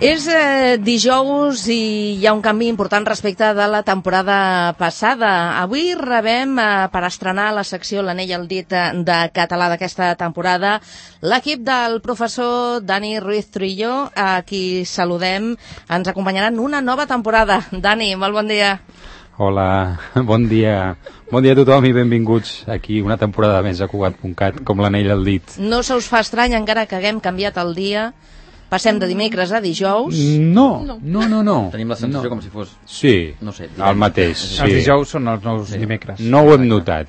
És dijous i hi ha un canvi important respecte de la temporada passada. Avui rebem, per estrenar la secció L'anell al dit de català d'aquesta temporada, l'equip del professor Dani Ruiz Trillo, a qui saludem. Ens acompanyaran una nova temporada. Dani, molt bon dia. Hola, bon dia. Bon dia a tothom i benvinguts aquí una temporada més a Cugat.cat, com l'anell al dit. No se us fa estrany encara que haguem canviat el dia? Passem de dimecres a dijous? No. Tenim la sensació com si fos... Sí, no sé, el mateix. Sí. Els dijous són els nous dimecres. No ho hem notat.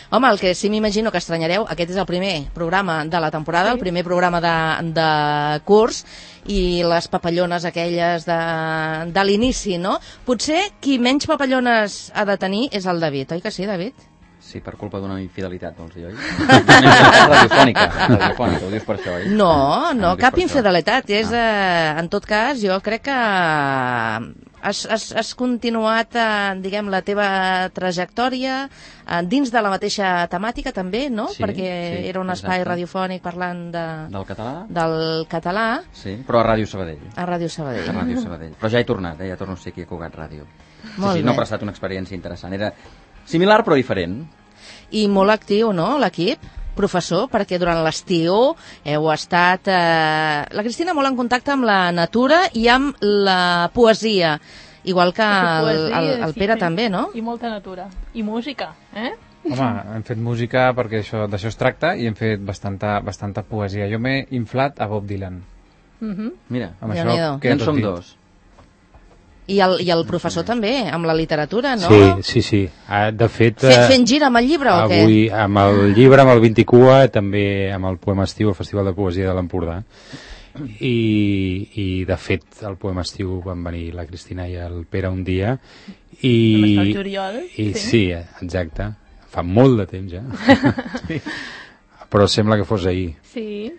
Home, el que sí m'imagino que estranyareu, aquest és el primer programa de la temporada, el primer programa de curs, i les papallones aquelles de l'inici, no? Potser qui menys papallones ha de tenir és el David, oi que sí, David? Sí, per culpa d'una infidelitat, vols dir, oi? Radiofònica, ho dius per això, oi? No, cap infidelitat. En tot cas, jo crec que has continuat, diguem, la teva trajectòria dins de la mateixa temàtica, també, no? Sí, perquè era un espai radiofònic parlant del català. Sí, però a Ràdio Sabadell. A Ràdio Sabadell. A Ràdio Sabadell. Però ja he tornat, ja torno a ser aquí a Cugat Ràdio. Molt bé. No, però ha estat una experiència interessant. Era similar però diferent. I molt actiu, no?, l'equip, professor, perquè durant l'estiu heu estat... La Cristina molt en contacte amb la natura i amb la poesia, igual que el Pere també, no? I molta natura. I música, eh? Home, hem fet música perquè d'això es tracta i hem fet bastanta poesia. Jo m'he inflat a Bob Dylan. Mira, amb això ja en som dos. I el professor també, amb la literatura, no? Sí. De fet... Fent gira amb el llibre o què? Avui amb el llibre, amb el 20 també amb el Poema Estiu, el Festival de Poesia de l'Empordà. I de fet el Poema Estiu van venir la Cristina i el Pere un dia. Vam estar al juliol. Sí, exacte. Fa molt de temps ja. Però sembla que fos ahir. Sí.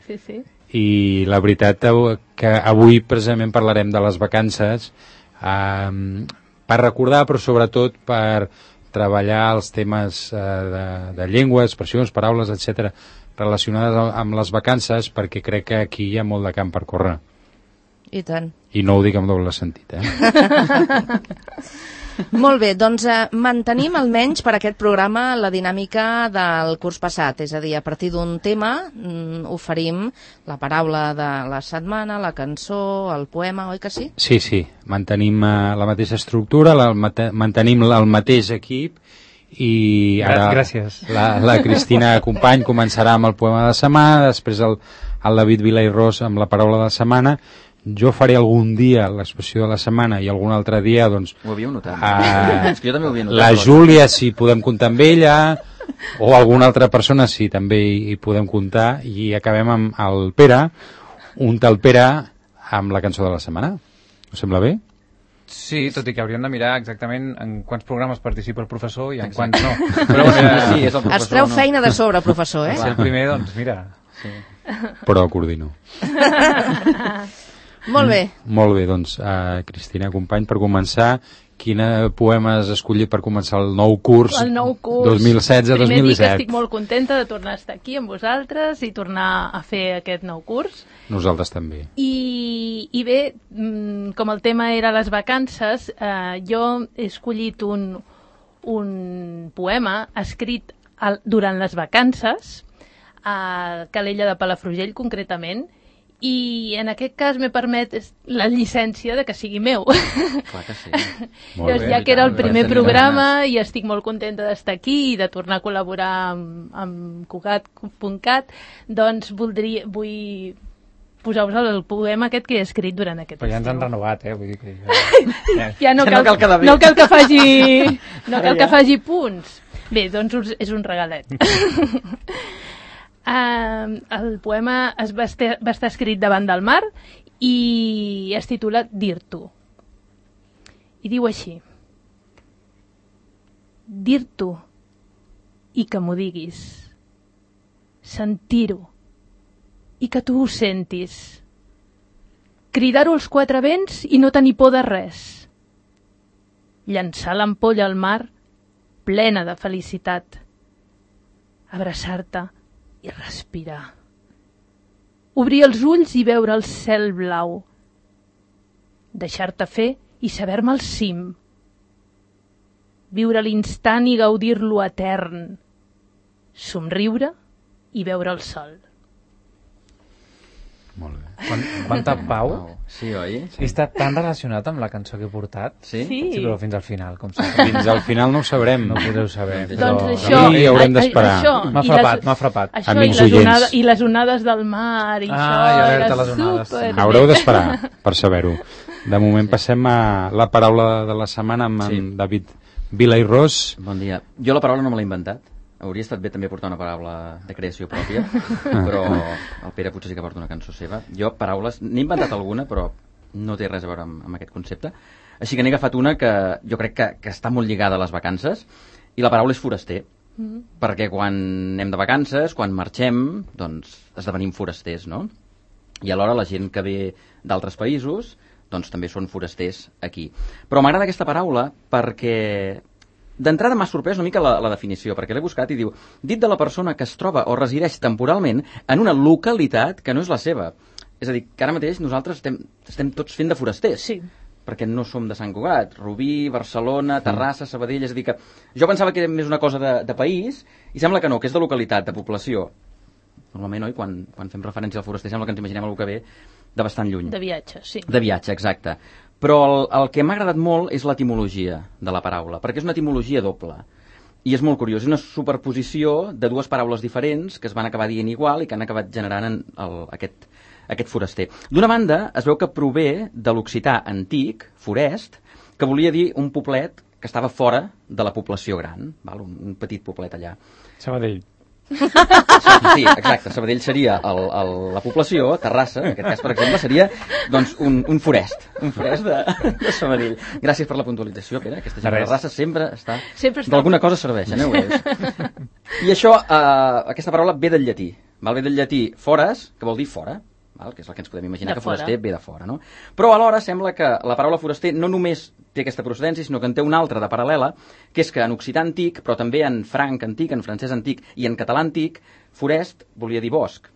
I la veritat que avui precisament parlarem de les vacances, per recordar, però sobretot per treballar els temes de llengua, expressions, paraules, etc., relacionades amb les vacances, perquè crec que aquí hi ha molt de camp per córrer. I tant. I no ho dic amb doble sentit, Molt bé, doncs mantenim almenys per aquest programa la dinàmica del curs passat, és a dir, a partir d'un tema oferim la paraula de la setmana, la cançó, el poema, oi que sí? Sí, mantenim la mateixa estructura, mantenim el mateix equip i ara gràcies. La Cristina Company començarà amb el poema de la setmana, després el David Vila i Ros amb la paraula de la setmana. Jo faré algun dia l'expressió de la setmana i algun altre dia, doncs... Ho havíeu notat. És que jo també ho havia notat. La Júlia, si podem comptar amb ella, o alguna altra persona, si també hi podem comptar, i acabem amb el Pere, un tal Pere, amb la cançó de la setmana. Us sembla bé? Sí, tot i que hauríem de mirar exactament en quants programes participa el professor i en quants no. Però sí, és el professor, es treu feina de sobre, professor, Si el primer, doncs mira. Sí. Però coordino. Molt bé, doncs, Cristina Company, per començar, quin poema has escollit per començar el nou curs, 2016-2017? Primer dir que estic molt contenta de tornar a estar aquí amb vosaltres i tornar a fer aquest nou curs. Nosaltres també. I bé, com el tema era les vacances, jo he escollit un poema escrit durant les vacances, a Calella de Palafrugell concretament, i en aquest cas m'he permet la llicència de que sigui meu. Clar que sí. Llavors, ja que era el primer programa i estic molt contenta d'estar aquí i de tornar a col·laborar amb Cugat.cat, doncs vull posar-vos el poema aquest que he escrit durant aquest estiu. Però ja ens han renovat, vull dir que... Ja no cal que faci punts. Bé, doncs és un regalet. El poema va estar escrit davant del mar i es titula Dir-t'ho. I diu així: dir-t'ho i que m'ho diguis, sentir-ho i que tu ho sentis, cridar-ho als quatre vents i no tenir por de res, llançar l'ampolla al mar plena de felicitat, abraçar-te i respirar. Obrir els ulls i veure el cel blau, deixar-te fer i saber-me al cim. Viure l'instant i gaudir-lo etern. Somriure i veure el sol. Molt bé. Quanta pau. Sí, oi? I està tan relacionat amb la cançó que he portat. Sí? Sí. Sí, però fins al final, com sempre. Fins al final no ho sabrem. No ho podreu saber. Doncs però... això... Sí, haurem d'esperar. M'ha frapat. Això Amics i les, oients. i les onades del mar i això alerta era a les onades. super... Haureu d'esperar per saber-ho. De moment passem a la paraula de la setmana amb en David Vila i Ros. Bon dia. Jo la paraula no me l'he inventat. Hauria estat bé també portar una paraula de creació pròpia, però el Pere potser sí que porta una cançó seva. Jo, paraules, n'he inventat alguna, però no té res a veure amb aquest concepte. Així que n'he agafat una que jo crec que està molt lligada a les vacances, i la paraula és foraster. Perquè quan anem de vacances, quan marxem, doncs esdevenim forasters, no? I alhora la gent que ve d'altres països doncs també són forasters aquí. Però m'agrada aquesta paraula perquè d'entrada m'ha sorprès una mica la definició, perquè l'he buscat i diu: dit de la persona que es troba o resideix temporalment en una localitat que no és la seva. És a dir, que ara mateix nosaltres estem tots fent de forasters. Sí. Perquè no som de Sant Cugat, Rubí, Barcelona, Terrassa, Sabadell, és a dir que jo pensava que era més una cosa de país i sembla que no, que és de localitat, de població. Normalment, oi, quan fem referència al foraster sembla que ens imaginem algú que ve de bastant lluny. De viatge, sí. De viatge, exacte. Però el que m'ha agradat molt és l'etimologia de la paraula, perquè és una etimologia doble. I és molt curiós, és una superposició de dues paraules diferents que es van acabar dient igual i que han acabat generant aquest foraster. D'una banda, es veu que prové de l'occità antic, forest, que volia dir un poblet que estava fora de la població gran, val? Un petit poblet allà. Sabadell. Sí, exacte, Sabadell seria la població, Terrassa, en aquest cas, per exemple, seria doncs, un forest de Sabadell. Gràcies per la puntualització, Pere, aquesta gent de Terrassa sempre està... D'alguna cosa serveixen, ho és. I això, aquesta paraula ve del llatí, val? Ve del llatí fores, que vol dir fora, val? Que és el que ens podem imaginar, que foraster ve de fora, no? Però alhora sembla que la paraula foraster no només té aquesta procedència, sinó que en té una altra de paral·lela, que és que en occità antic, però també en franc antic, en francès antic i en català antic, forest volia dir bosc.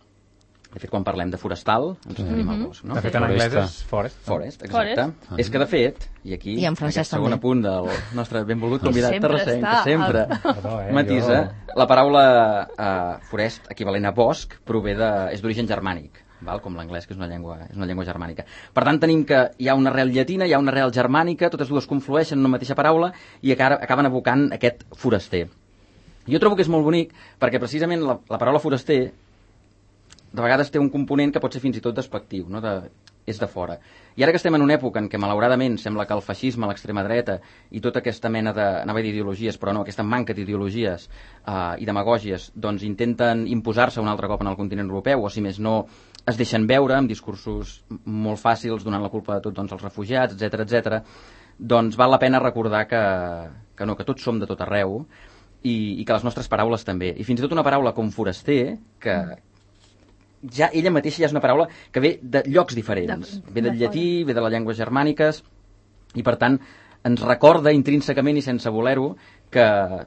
De fet, quan parlem de forestal, ens referim al bosc, no? De fet, en anglès és forest. Forest, exacte. És que, de fet, i aquí, I en francès aquest segon també. apunt del nostre benvolgut convidat Sempre terrassenc, està. que sempre matisa, la paraula forest, equivalent a bosc, és d'origen germànic. Val? Com l'anglès, que és una llengua germànica. Per tant, tenim que hi ha una arrel llatina, hi ha una arrel germànica, totes dues conflueixen en una mateixa paraula i acaben evocant aquest foraster. Jo trobo que és molt bonic perquè precisament la paraula foraster de vegades té un component que pot ser fins i tot despectiu, no? És de fora. I ara que estem en una època en què malauradament sembla que el feixisme, l'extrema dreta i tota aquesta mena d'ideologies, però no, aquesta manca d'ideologies i demagògies, doncs intenten imposar-se un altre cop en el continent europeu, o si més no es deixen veure amb discursos molt fàcils donant la culpa de tot als refugiats, etc, doncs val la pena recordar que no, que tots som de tot arreu i que les nostres paraules també. I fins i tot una paraula com foraster, que ja ella mateixa ja és una paraula que ve de llocs diferents. Ve del llatí, ve de les llengües germàniques i per tant ens recorda intrínsecament i sense voler-ho que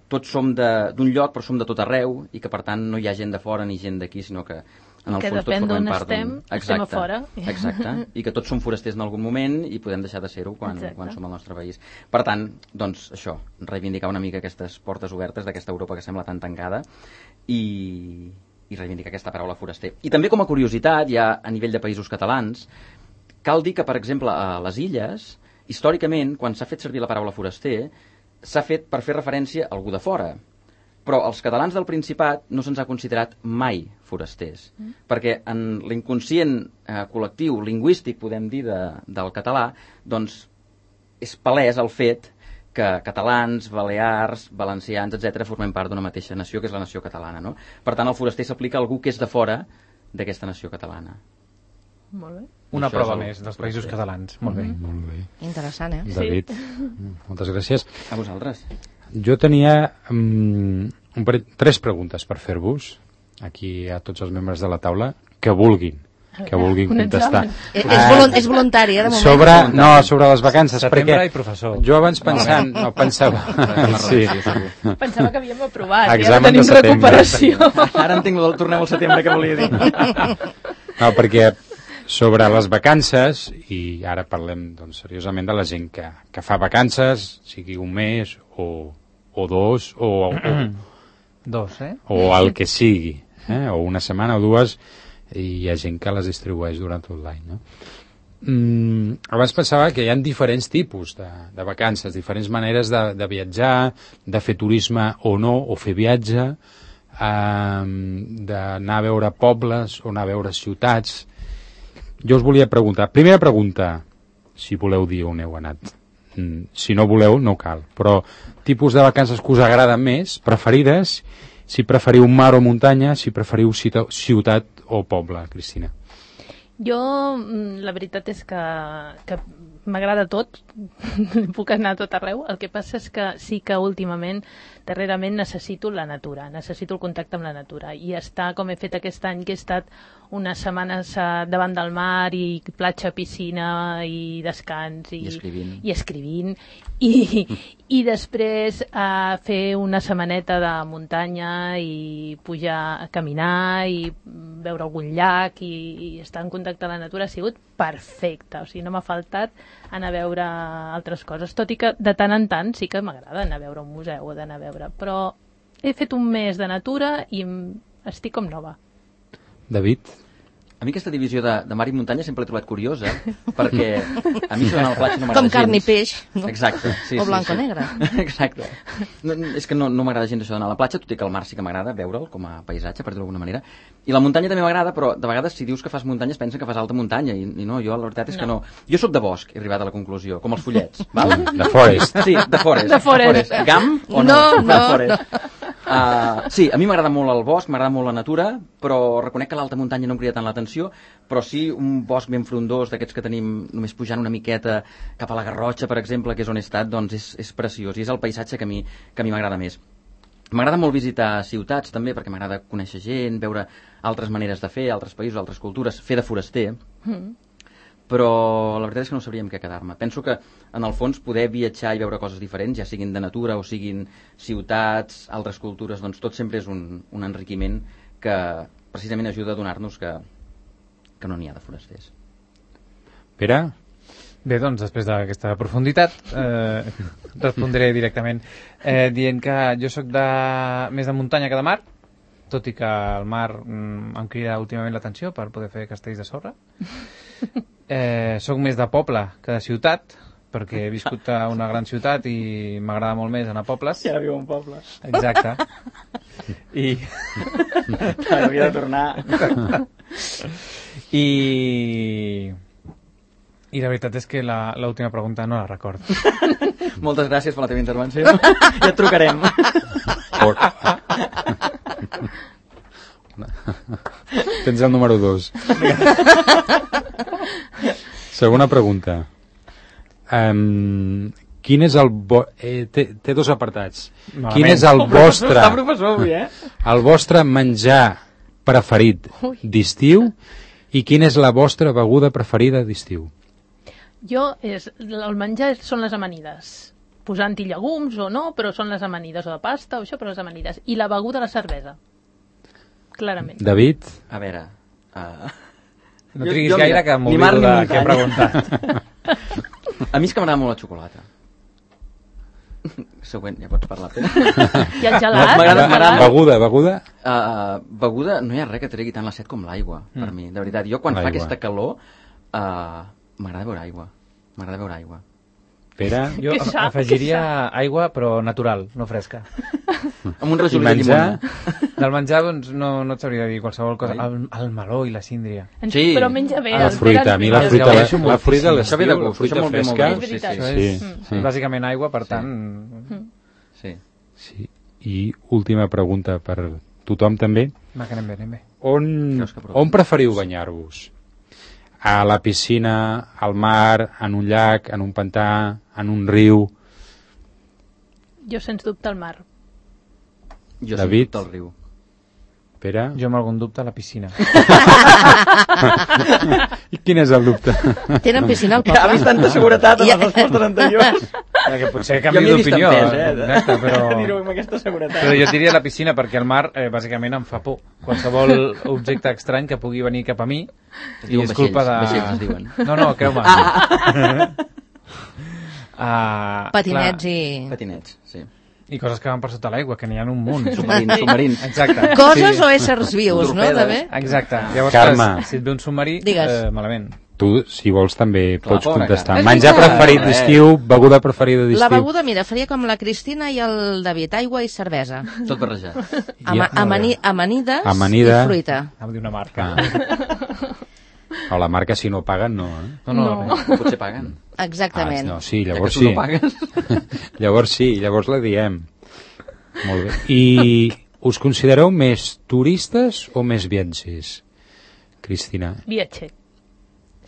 tots som d'un lloc però som de tot arreu i que per tant no hi ha gent de fora ni gent d'aquí, sinó que en el fons tots formem part d'un... estem a fora. Exacte, i que tots som forasters en algun moment i podem deixar de ser-ho quan som al nostre país. Per tant, doncs això, reivindicar una mica aquestes portes obertes d'aquesta Europa que sembla tan tancada i reivindicar aquesta paraula foraster. I també com a curiositat, ja a nivell de països catalans, cal dir que, per exemple, a les illes, històricament, quan s'ha fet servir la paraula foraster, s'ha fet per fer referència a algú de fora. Però als catalans del Principat no se'ns ha considerat mai forasters, perquè en l'inconscient col·lectiu, lingüístic, podem dir, del català, doncs és palès el fet que catalans, balears, valencians, etc., formem part d'una mateixa nació, que és la nació catalana, no? Per tant, el foraster s'aplica a algú que és de fora d'aquesta nació catalana. Molt bé. Una prova més dels països catalans. Molt bé. Molt bé. Interessant, eh? David, moltes gràcies. A vosaltres. Jo tenia 3 preguntes per fer-vos, aquí a tots els membres de la taula, que vulguin contestar. És voluntari, de moment. Sobre les vacances. Setembre i professor. Jo abans pensava... Sí. Pensava que havíem aprovat, Examen ja no tenim de setembre. recuperació. Ara entenc el tornem al setembre que volia dir. No, perquè sobre les vacances, i ara parlem doncs, seriosament de la gent que fa vacances, sigui un mes o dos o Dos, o el que sigui, o una setmana o dues, i hi ha gent que les distribueix durant tot l'any, no? Abans pensava que hi ha diferents tipus de vacances, diferents maneres de viatjar, de fer turisme o no, o fer viatge, d'anar a veure pobles o anar a veure ciutats. Jo us volia preguntar, primera pregunta, si voleu dir on heu anat. Si no voleu, no cal, però tipus de vacances que us agraden més, preferides, si preferiu mar o muntanya, si preferiu ciutat o poble, Cristina. Jo, la veritat és que m'agrada tot, puc anar a tot arreu. El que passa és que sí que últimament, darrerament, necessito la natura, necessito el contacte amb la natura. I estar, com he fet aquest any, que he estat unes setmanes davant del mar i platja, piscina i descans i escrivint i després fer una setmaneta de muntanya i pujar a caminar i veure algun llac i estar en contacte amb la natura ha sigut perfecte, o sigui, no m'ha faltat anar a veure altres coses, tot i que de tant en tant sí que m'agrada anar a veure un museu o d'anar a veure, però he fet un mes de natura i estic com nova. David? A mi aquesta divisió de mar i muntanya sempre l'he trobat curiosa, perquè a mi això d'anar a la platja no m'agrada gens. Com carn i peix. No? Exacte. Sí, o blanc o negre. Exacte. No, és que no m'agrada gens això d'anar a la platja, tot i que el mar sí que m'agrada veure'l com a paisatge, per dir-ho d'alguna manera. I la muntanya també m'agrada, però de vegades si dius que fas muntanya es pensen que fas alta muntanya, i no, jo la veritat és que no. Jo sóc de bosc, he arribat a la conclusió, com els follets. Val? De forest. Sí, de forest. De forest. Gam o no? No. Sí, a mi m'agrada molt el bosc, m'agrada molt la natura, però reconec que l'alta muntanya no em crida tant l'atenció, però sí un bosc ben frondós d'aquests que tenim només pujant una miqueta cap a la Garrotxa, per exemple, que és on he estat, doncs és preciós i és el paisatge que a mi m'agrada més. M'agrada molt visitar ciutats també, perquè m'agrada conèixer gent, veure altres maneres de fer, altres països, altres cultures, fer de foraster, però la veritat és que no sabríem què quedar-me. Penso que en el fons poder viatjar i veure coses diferents, ja siguin de natura o siguin ciutats, altres cultures, doncs tot sempre és un enriquiment que precisament ajuda a donar-nos que no n'hi ha de forasters. Pere? Bé, doncs, després d'aquesta profunditat, respondré directament dient que jo sóc més de muntanya que de mar, tot i que el mar em crida últimament l'atenció per poder fer castells de sorra. Soc més de poble que de ciutat, perquè he viscut a una gran ciutat i m'agrada molt més anar a pobles. I ara viu en poble. Exacte. I havia de tornar. I la veritat és que l'última pregunta no la recordo. Moltes gràcies per la teva intervenció. Ja et trucarem. Tens el número 2. Segona pregunta. Quin és el... té dos apartats. Malament. Quin és el vostre... Està professor avui, el vostre menjar preferit d'estiu i quina és la vostra beguda preferida d'estiu? El menjar són les amanides. Posant-hi llegums o no, però són les amanides, o de pasta o això, però les amanides. I la beguda, la cervesa. Clarament. David? A veure... No triguis gaire que m'oblido de què he preguntat. A mi és que m'agrada molt la xocolata. Següent, ja pots parlar, Pere. I el gelat? M'agrada. Beguda? Beguda, no hi ha res que tregui tant la set com l'aigua, per mi, de veritat. Jo quan fa aquesta calor m'agrada beure aigua. M'agrada beure aigua. Pere? Jo afegiria aigua, però natural, no fresca. Amb un rajolí de llimona. Del menjar, doncs, no et sabria dir qualsevol cosa. El meló i la síndria. Sí. Però menja bé. La fruita, a mi la fruita de l'estiu, la fruita fresca. Sí. Bàsicament aigua, per tant... Sí. I última pregunta per tothom també. Va, que anem bé. On preferiu banyar-vos? A la piscina, al mar, en un llac, en un pantà, en un riu? Jo, sens dubte, al mar. Jo David? sens dubte al riu. Pere? Jo amb algun dubte a la piscina. I quin és el dubte? Tenen piscina al Que ha poble? vist tanta seguretat en les respostes anteriors. Que potser Jo canvi m'hi he vist d'opinió. empès, Exacte, però... Dir-ho amb aquesta seguretat. Però jo diria la piscina perquè el mar bàsicament em fa por. Qualsevol objecte estrany que pugui venir cap a mi Es i diuen és culpa de... vaixells es diuen. No, creu-me. Patinets Patinets, sí. I coses que van per sota l'aigua, que n'hi ha un munt. Submarins. Exacte. Coses o éssers vius, no? Torpedes. També? Exacte. Llavors, Carme. si et ve un submarí, Digues. malament. Tu, si vols, també Clar, pots pobra contestar. cara. Menjar És veritat. preferit d'estiu, beguda preferida d'estiu. La beguda, mira, faria com la Cristina i el David, aigua i cervesa. Tot barrejat. Amanides Amanida. i fruita. Anava a dir una marca. O la marca, si no paguen, no. No. Potser paguen. Exactament. No, sí, Ja que llavors tu sí. no pagues. Llavors sí, llavors la diem. Molt bé. I us considereu més turistes o més viatgers? Cristina. Viatger.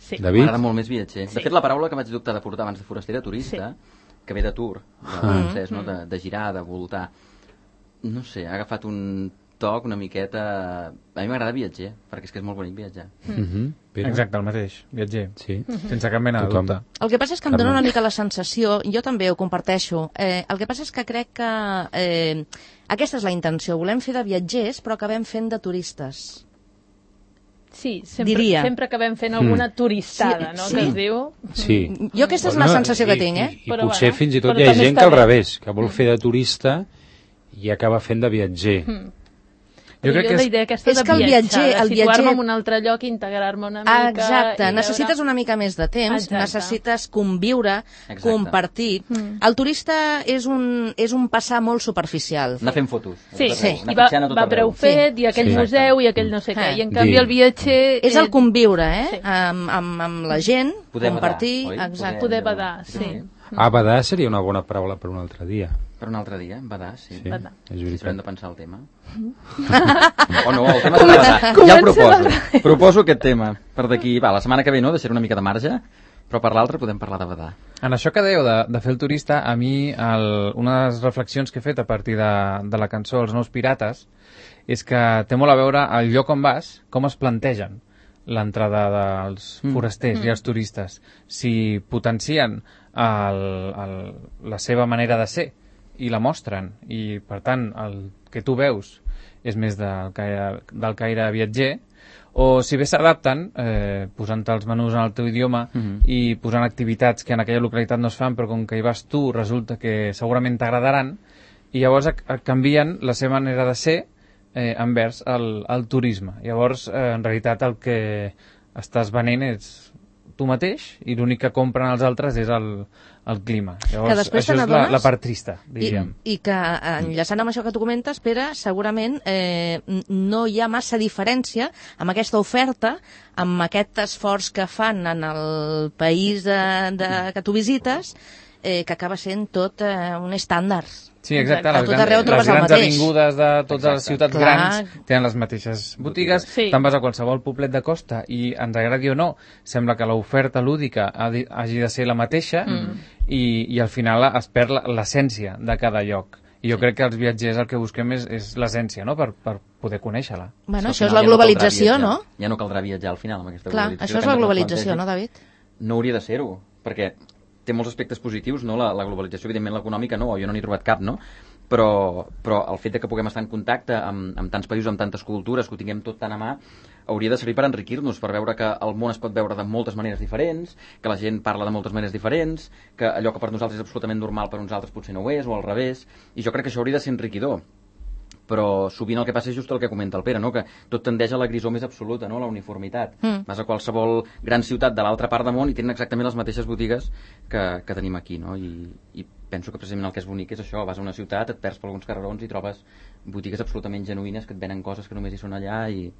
Sí. David? M'agrada molt més viatger. De fet, la paraula que vaig dubtar de portar abans de foraster era turista, que ve de tour, de francès, no? De girar, de voltar. No sé, ha agafat un toc una miqueta... A mi m'agrada viatger, perquè és que és molt bonic viatjar. Pere? Exacte, el mateix, viatger. Sí. Sense cap mena de Tothom. dubte. El que passa és que em dóna una mica la sensació, jo també ho comparteixo, el que passa és que crec que aquesta és la intenció, volem fer de viatgers però acabem fent de turistes. Sí, sempre, Diria. sempre acabem fent alguna turistada, Sí, no?, sí. que es diu. Sí. Jo aquesta és la sensació que tinc, I Però potser bueno, fins i tot però hi ha també gent està que al bé. revés, que vol fer de turista i acaba fent de viatger. Jo crec que la és... idea aquesta és de que el viatjar, viatger- de el situar-me viatger- en un altre lloc, integrar-me una mica... Exacte, i veure- necessites una mica més de temps, Exacte. necessites conviure, Exacte. compartir. El turista és un passar molt superficial. Anar fent fotos. Sí, Anar sí. anar I va pitjant a tot preu arreu. fet, i aquell Sí. museu, i aquell no sé què. I en canvi Dir. el viatger... És el conviure, Sí. amb la gent, Poder compartir... badar, oi? Exacte. Poder badar, sí. Badar seria una bona paraula per un altre dia. Per un altre dia, badar, sí. Sí, Badar. és Si hem de veritat. pensar el tema. O no, el tema serà badar. Ja el proposo. Proposo aquest tema. Per d'aquí, va, la setmana que ve no, deixaré una mica de marge, però per l'altre podem parlar de badar. En això que dèieu de fer el turista, a mi una de les reflexions que he fet a partir de la cançó Els nous pirates és que té molt a veure el lloc on vas, com es plantegen l'entrada dels forasters i els turistes. Si potencien la seva manera de ser i la mostren, i per tant el que tu veus és més del caire viatger, o si bé s'adapten, posant els menús en el teu idioma i posant activitats que en aquella localitat no es fan, però com que hi vas tu resulta que segurament t'agradaran, i llavors canvien la seva manera de ser envers el turisme. Llavors, en realitat, el que estàs venent és tu mateix, i l'únic que compren els altres és el clima. Llavors, després això te és n'adones? la part trista, diríem. I que, enllaçant amb això que tu comentes, Pere, segurament no hi ha massa diferència amb aquesta oferta, amb aquest esforç que fan en el país que tu visites, que acaba sent tot un estàndard. Sí, exacte. A tot arreu Les trobes el grans mateix. avingudes de totes les ciutats Clar. grans tenen les mateixes botigues. Sí. Te'n vas a qualsevol poblet de costa i ens agradi o no, sembla que l'oferta lúdica hagi de ser la mateixa i al final es perd l'essència de cada lloc. I jo crec que els viatgers el que busquem és l'essència, no?, per poder conèixer-la. Bueno, Al això és final la ja no caldrà globalització, viatjar. no? Ja no caldrà viatjar al final amb aquesta Clar, globalització. això és la que ens globalització, plantegen. no, David? No hauria de ser-ho, perquè té molts aspectes positius, no? La globalització, evidentment, l'econòmica no, jo no n'he trobat cap, no? Però el fet de que puguem estar en contacte amb tants països, amb tantes cultures, que ho tinguem tot tan a mà, hauria de servir per enriquir-nos, per veure que el món es pot veure de moltes maneres diferents, que la gent parla de moltes maneres diferents, que allò que per nosaltres és absolutament normal per uns altres potser no ho és, o al revés, i jo crec que això hauria de ser enriquidor. Però sovint el que passa és just el que comenta el Pere, no? Que tot tendeix a la grisó més absoluta, no? La uniformitat. Vas a qualsevol gran ciutat de l'altra part del món i tenen exactament les mateixes botigues que tenim aquí, no? I penso que precisament el que és bonic és això, vas a una ciutat, et perds per alguns carrerons i trobes botigues absolutament genuïnes que et venen coses que només hi són allà i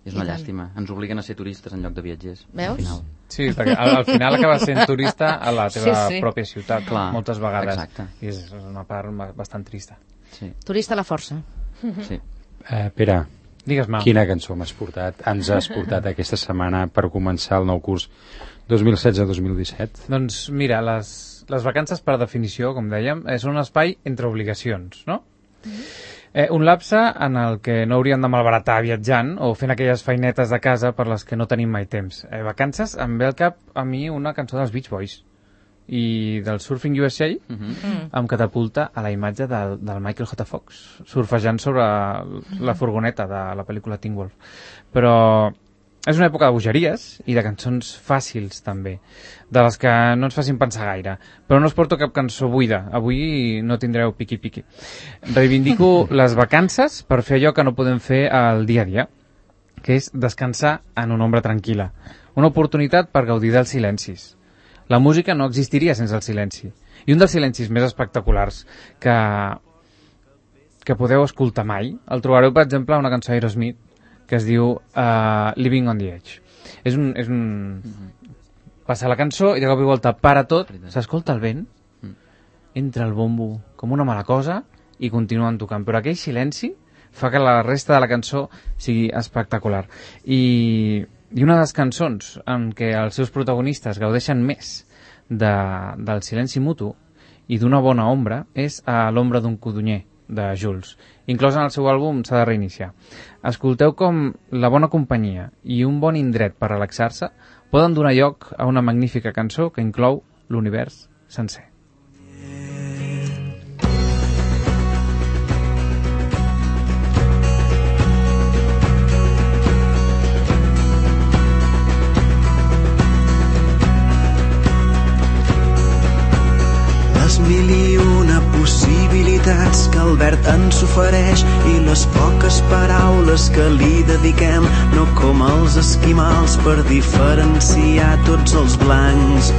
és una llàstima. Ens obliguen a ser turistes en lloc de viatgers. Veus? Al final. Sí, perquè al final acabes sent turista a la teva Sí, sí. pròpia ciutat, Clar, moltes vegades. exacte. I és una part bastant trista. Sí, Turista a la força. sí. Pere, Digues-me. quina cançó ens has portat aquesta setmana per començar el nou curs 2016-2017? Doncs mira, les vacances per definició, com dèiem, és un espai entre obligacions, no? Un lapse en el que no hauríem de malbaratar viatjant o fent aquelles feinetes de casa per les que no tenim mai temps. Vacances, em ve al cap a mi una cançó dels Beach Boys i del Surfing USA em catapulta a la imatge del Michael J. Fox surfejant sobre la furgoneta de la pel·lícula Teen Wolf. Però és una època de bogeries i de cançons fàcils també, de les que no ens facin pensar gaire, però no us porto cap cançó buida, avui no tindreu piqui-piqui. Reivindico les vacances per fer allò que no podem fer al dia a dia, que és descansar en una ombra tranquil·la, una oportunitat per gaudir dels silencis. La música no existiria sense el silenci. I un dels silencis més espectaculars que podeu escoltar mai, el trobareu, per exemple, a una cançó d'Aerosmith que es diu Living on the Edge. És un... Passa la cançó i de cop i volta para tot, s'escolta el vent, entra el bombo com una mala cosa i continuen tocant. Però aquell silenci fa que la resta de la cançó sigui espectacular. I una de les cançons en què els seus protagonistes gaudeixen més del silenci mutu i d'una bona ombra és a l'ombra d'un codonyer de Jules, inclòs en el seu àlbum S'ha de reiniciar. Escolteu com la bona companyia i un bon indret per relaxar-se poden donar lloc a una magnífica cançó que inclou l'univers sencer. Mil i una possibilitats que el verd ens ofereix i les poques paraules que li dediquem, no com els esquimals per diferenciar tots els blancs.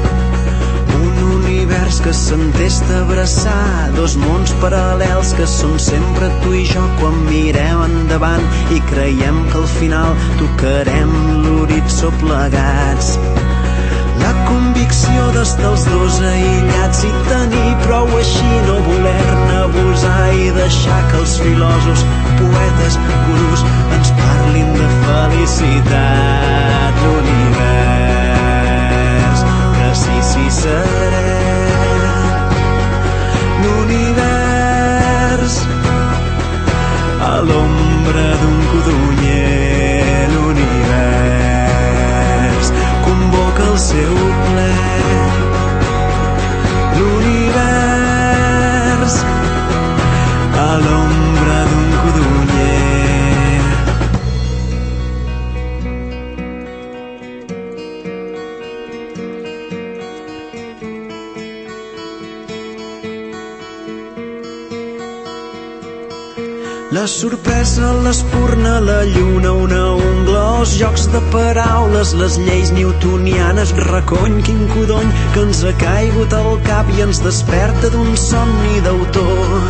Un univers que s'entesta a abraçar, dos mons paral·lels que són sempre tu i jo quan mirem endavant i creiem que al final tocarem l'horitzó plegats. La convicció d'estar els dos aïllats i tenir prou així, no voler-ne abusar i deixar que els filòsofs, poetes, gurús ens parlin de felicitat. L'univers, que sí seré. L'univers, a l'ombra d'un codonyer. L'univers convoca el seu ple. L'univers a l'ombra d'un codonyer. La sorpresa, l'espurna, la lluna, una ungla, els jocs de paraules, les lleis newtonianes, recony, quin codony que ens ha caigut al cap i ens desperta d'un somni d'autor.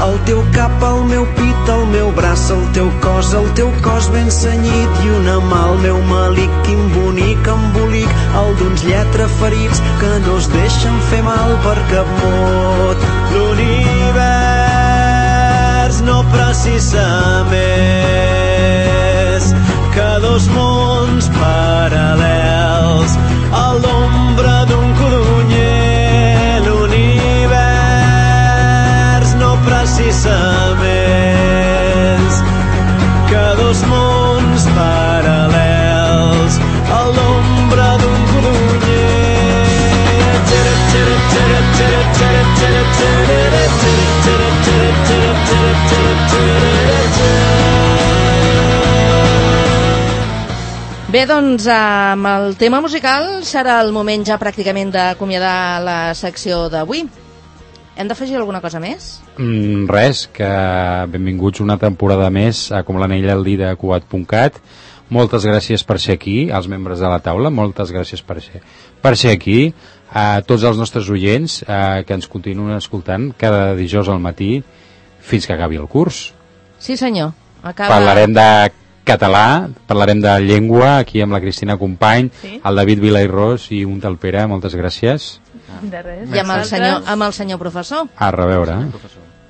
El teu cap, el meu pit, el meu braç, el teu cos ben cenyit i una mà al meu malic, quin bonic embolic, el d'uns lletraferits que no es deixen fer mal per cap mot. L'univers no precisa més que dos mons paral·lels a l'ombra d'un codonyer. L'univers no precisa més que dos mons paral·lels a l'ombra d'un codonyer. Bé, doncs amb el tema musical serà el moment ja pràcticament d'acomiadar la secció d'avui. Hem d'afegir alguna cosa més? Res, que benvinguts una temporada més a Com l'anell al dit de Cugat.cat. Moltes gràcies per ser aquí, als membres de la taula, moltes gràcies per ser aquí, a tots els nostres oients que ens continuen escoltant cada dijous al matí fins que acabi el curs. Sí, senyor. Parlarem de català, parlarem de llengua aquí amb la Cristina Company, sí? El David Vila i Ros i un tal Pere, moltes gràcies. De res. I amb el senyor professor. A reveure.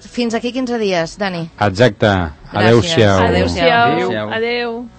Fins aquí 15 dies, Dani. Exacte. Adéu-siau. Adéu-siau. Adéu.